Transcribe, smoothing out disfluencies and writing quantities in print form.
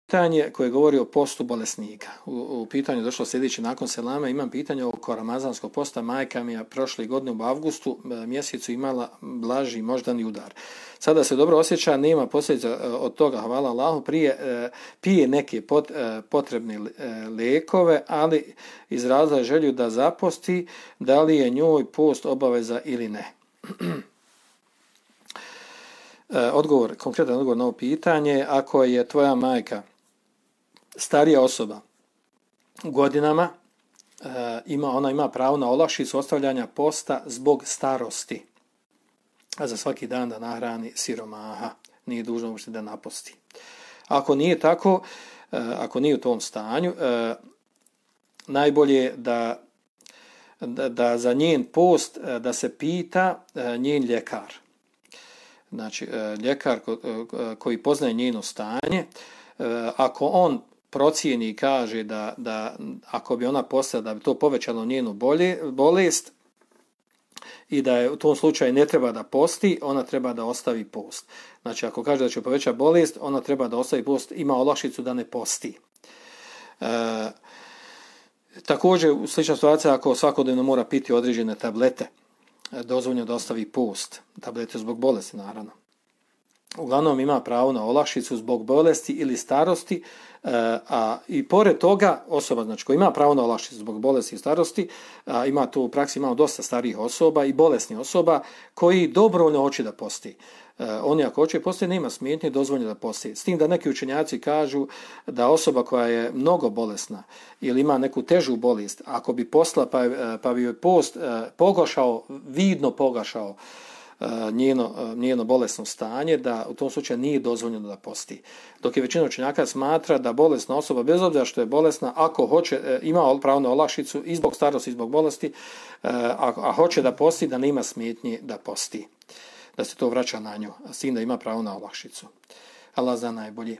pitanje koje govori o postu bolesnika. U pitanju je došlo sljedeće nakon selama. Imam pitanje oko ramazanskog posta. Majka mi je prošle godine u avgustu mjesecu imala blaži moždani udar. Sada se dobro osjeća, nema posljedica od toga, hvala Allahu, pije neke potrebne lijekove, ali izrazila je želju da zaposti, da li je njoj post obaveza ili ne. Konkretan odgovor na ovo pitanje, ako je tvoja majka starija osoba u godinama, ona ima pravo na olakšicu ostavljanja posta zbog starosti, a za svaki dan da nahrani siromaha, nije dužno uopšte da naposti. Ako nije tako, ako nije u tom stanju, najbolje je da za njen post da se pita njen ljekar. Znači, ljekar koji poznaje njeno stanje, ako on procijeni i kaže da ako bi ona postala, da bi to povećalo njenu bolest i da je u tom slučaju ne treba da posti, ona treba da ostavi post. Znači, ako kaže da će povećati bolest, ona treba da ostavi post, ima olakšicu da ne posti. Također, slična situacija ako svakodnevno mora piti određene tablete, dozvoljeno da ostavi post, tablete zbog bolesti naravno. Uglavnom ima pravo na olakšicu zbog bolesti ili starosti, i pored toga osoba, znači koja ima pravo na olakšicu zbog bolesti i starosti, ima tu u praksi imamo dosta starijih osoba i bolesnih osoba koji dobrovoljno hoće da posti. Oni ako hoće posti, nema smetnje, dozvoljeno da posti. S tim da neki učenjaci kažu da osoba koja je mnogo bolesna ili ima neku težu bolest, ako bi postala pa bi joj post vidno pogašao njeno bolesno stanje, da u tom slučaju nije dozvoljeno da posti. Dok je većina učenjaka smatra da bolesna osoba, bez obzira što je bolesna, ako hoće, ima pravo na olakšicu i zbog starosti i zbog bolesti, a hoće da posti, da nema smetnje da posti, da se to vraća na nju, s tim da ima pravo na olakšicu. Allah zna najbolje.